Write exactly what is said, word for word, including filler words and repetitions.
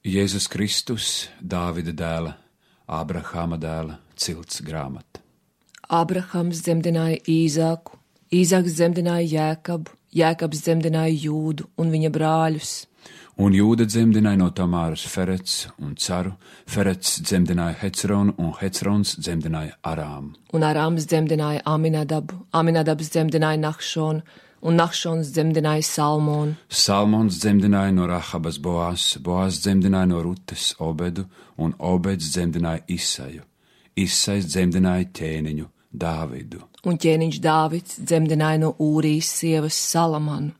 Jēzus Kristus, Dāvida dēla, Ābrahāma dēla, cilts grāmata. Ābrahams dzemdināja Īzāku, Īzāks dzemdināja Jēkabu, Jēkabs dzemdināja Jūdu un viņa brāļus. Un Jūda dzemdināja no Tamāras Ferets un Caru, Ferets dzemdināja Hecronu un Hecrons dzemdināja Arāmu. Un Arāms dzemdināja Aminadabu, Aminadabs dzemdināja Nahšonu, un Nahšons dzemdināja Salmonu. Salmons dzemdināja no Rahabas Boās, Boās dzemdināja no Rutes Obedu, un Obeds dzemdināja Isaju. Isais dzemdināja ķēniņu Dāvidu. Un ķēniņš Dāvids dzemdināja no Ūrijas sievas Salamanu.